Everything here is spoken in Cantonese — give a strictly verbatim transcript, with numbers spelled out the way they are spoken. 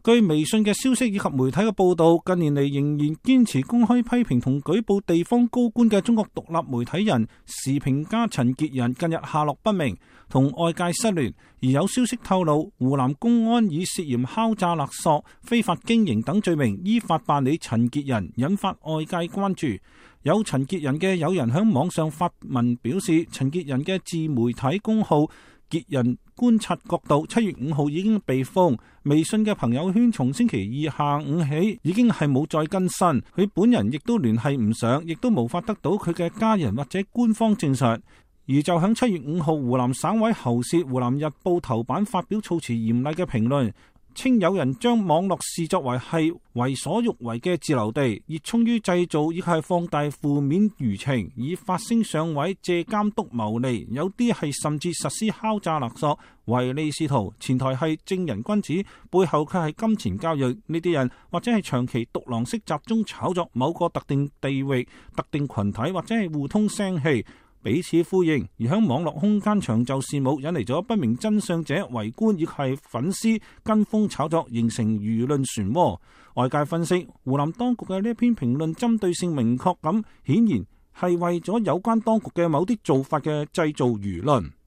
據微信嘅消息以及媒體嘅報道，近年嚟仍然堅持公開批評同舉報地方高官嘅中國獨立媒體人時評家陳潔仁近日下落不明，同外界失聯。而有消息透露，湖南公安以涉嫌敲詐勒索、非法經營等罪名依法辦理陳潔仁，引發外界關注。有陳潔仁嘅友人喺網上發文表示，陳潔仁嘅自媒體公號潔仁觀察角度七月五號已經被封，微信嘅朋友圈從星期二下午起已經係冇再更新，佢本人亦都聯繫唔上，亦都無法得到佢嘅家人或者官方證實。而就喺七月五號，湖南省委喉舌《湖南日報》頭版發表措辭嚴厲嘅評論，稱有人將網絡視作為係為所欲為嘅自留地，熱衷於製造亦係放大負面輿情，以發聲上位，借監督牟利。有啲係甚至實施敲詐勒索，唯利是圖，前台係正人君子，背後卻係金錢交易。呢啲人或者係長期獨狼式集中炒作某個特定地域、特定群體，或者係互通聲氣，彼此呼應，而喺網絡空間長袖善舞，引嚟咗不明真相者圍觀，亦係粉絲跟風炒作，形成輿論漩渦。外界分析，湖南當局嘅呢一篇評論針對性明確咁，顯然係為咗有關當局嘅某啲做法嘅製造輿論。